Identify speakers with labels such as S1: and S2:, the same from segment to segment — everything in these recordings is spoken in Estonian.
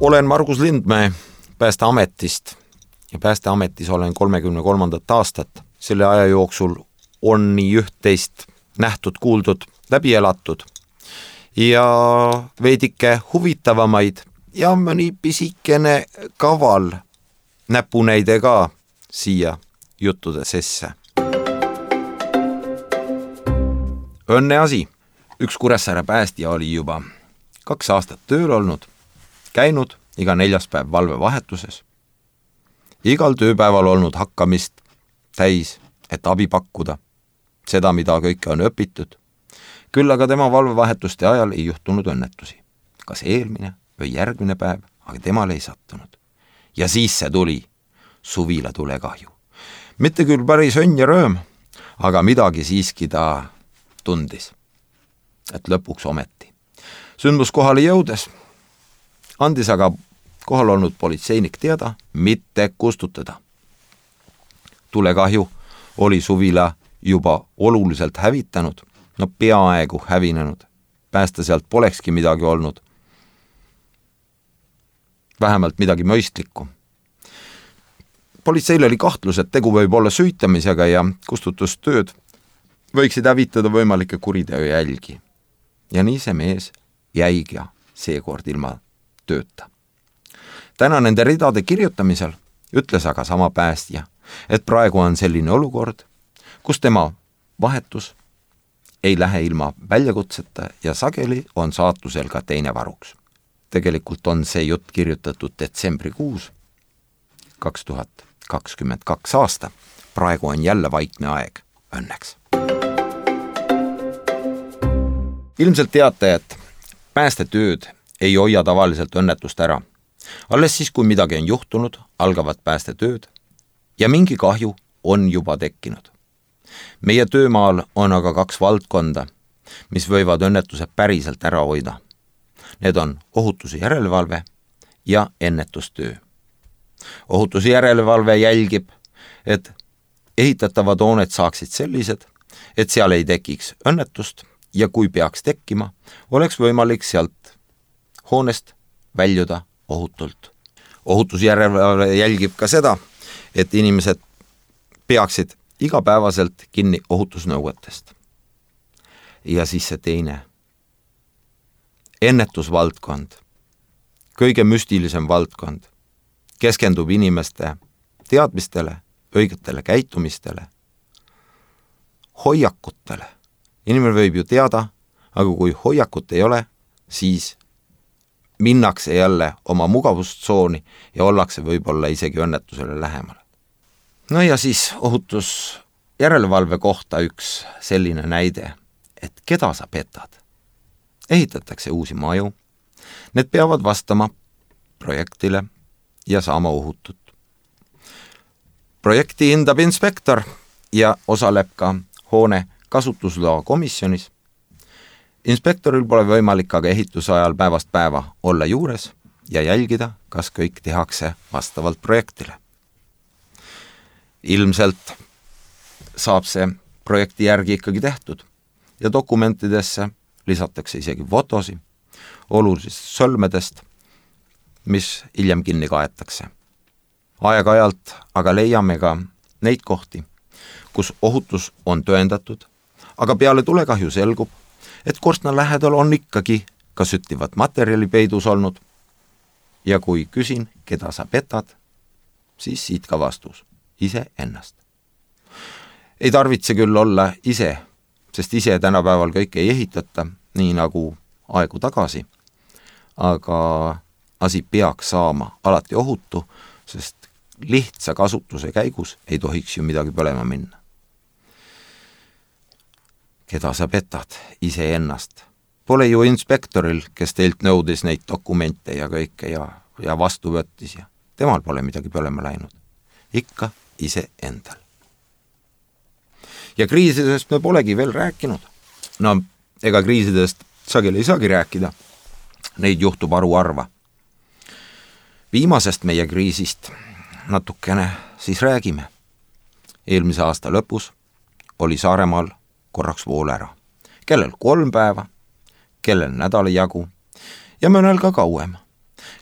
S1: Olen Margus Lindmäe Päästeametist ja Päästeametis olen 33. aastat. Selle aja jooksul on nii üht-teist nähtud, kuuldud, läbi elatud ja veidike huvitavamaid ja mõni pisikene kaval näpunäide ka siia juttude sisse. Õnne asi. Üks Kuressaare päästja oli juba 2 aastat tööl olnud, käinud iga 4. päev valvevahetuses. Igal tööpäeval olnud hakkamist täis, et abi pakkuda, seda, mida kõike on õpitud. Küll aga tema valvevahetuste ajal ei juhtunud õnnetusi. Kas eelmine või järgmine päev, aga temale ei sattunud. Ja siis see tuli, suvila tulekahju. Mitte küll päris õnn ja rööm, aga midagi siiski ta tundis, et lõpuks ometi. Sündmuskohale jõudes andis aga kohal olnud politseinik teada, mitte kustutada. Tulekahju oli suvila juba oluliselt hävitanud, peaaegu hävinenud. Päästa sealt polekski midagi olnud. Vähemalt midagi mõistlikku. Politseil oli kahtlus, et tegu võib olla süütamisega ja kustutustööd võiksid hävitada võimalikke kuriteo jälgi. Ja nii see mees jäigi seekord ilma tööta. Täna nende ridade kirjutamisel ütles aga sama päästja, et praegu on selline olukord, kus tema vahetus ei lähe ilma väljakutseta ja sageli on saatusel ka teine varuks. Tegelikult on see jutt kirjutatud detsembrikuus 2022 aasta. Praegu on jälle vaikne aeg, õnneks. Ilmselt teate, et päästetööd ei hoia tavaliselt õnnetust ära. Alles siis, kui midagi on juhtunud, algavad päästetööd ja mingi kahju on juba tekkinud. Meie töömaal on aga 2 valdkonda, mis võivad õnnetuse päriselt ära hoida. Need on ohutuse järelevalve ja ennetustöö. Ohutuse järelevalve jälgib, et ehitatavad hooned saaksid sellised, et seal ei tekiks õnnetust ja kui peaks tekkima, oleks võimalik sealt hoonest väljuda ohutult. Ohutusjärelevalve jälgib ka seda, et inimesed peaksid igapäevaselt kinni ohutusnõuetest. Ja siis see teine. Ennetusvaldkond, kõige müstilisem valdkond, keskendub inimeste teadmistele, õigetele käitumistele, hoiakutele. Inimene võib ju teada, aga kui hoiakut ei ole, siis minnakse jälle oma mugavustsooni ja ollakse võib-olla isegi õnnetusele lähemale. No ja siis ohutusjärelevalve kohta üks selline näide, et keda sa petad? Ehitatakse uusi maju, need peavad vastama projektile ja saama ohutut. Projekti hindab inspektor ja osaleb ka hoone kasutusloa komisjonis. Inspektoril pole võimalik aga ehituse ajal päevast päeva olla juures ja jälgida, kas kõik tehakse vastavalt projektile. Ilmselt saab see projekti järgi ikkagi tehtud ja dokumentidesse lisatakse isegi fotosi olulisest sõlmedest, mis hiljem kinni kaetakse. Aeg-ajalt aga leiame ka neid kohti, kus ohutus on tõendatud, aga peale tulekahju selgub, et korstna lähedal on ikkagi ka süttivat materjali peidus olnud. Ja kui küsin, keda sa petad, siis siit ka vastus. Ise ennast. Ei tarvitse küll olla ise, sest ise tänapäeval kõik ei ehitata, nii nagu aegu tagasi. Aga asi peaks saama alati ohutu, sest lihtsa kasutuse käigus ei tohiks ju midagi põlema minna. Keda sa petad? Ise ennast. Pole ju inspektoril, kes teilt nõudis neid dokumente ja kõike ja vastu võttis ja temal pole midagi põlema läinud. Ikka ise endal. Ja kriisidest me polegi veel rääkinud. No, ega kriisidest sageli ei saagi rääkida. Neid juhtub haruharva. Viimasest meie kriisist natukene siis räägime. Eelmise aasta lõpus oli Saaremaal korraks vool ära. Kellel 3 päeva, kellel nädala jagu ja mõnel ka kauem.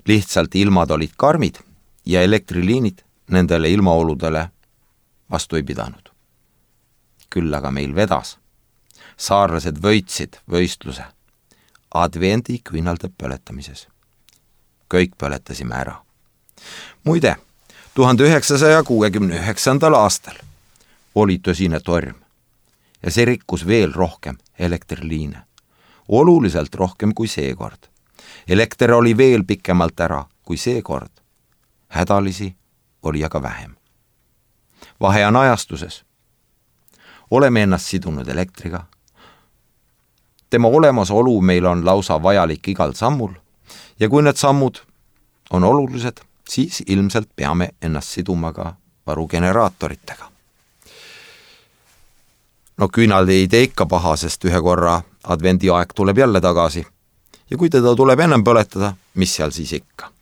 S1: Lihtsalt ilmad olid karmid ja elektriliinid nendele ilmaoludele vastu ei pidanud. Küll aga meil vedas. Saarlased võitsid võistluse advendi küünalde põletamises. Kõik põletasime ära. Muide, 1969. aastal oli tõsine torm ja see rikkus veel rohkem elektriliine. Oluliselt rohkem kui seekord. Elekter oli veel pikemalt ära kui seekord. Hädalisi oli aga vähem. Vahe on ajastuses. Oleme ennast sidunud elektriga. Tema olemasolu meil on lausa vajalik igal sammul ja kui need sammud on olulised, siis ilmselt peame ennast siduma ka varugeneraatoritega. No küünal ei tee ikka paha, sest ühe korra advendi aeg tuleb jälle tagasi. Ja kui teda tuleb ennem põletada, mis seal siis ikka?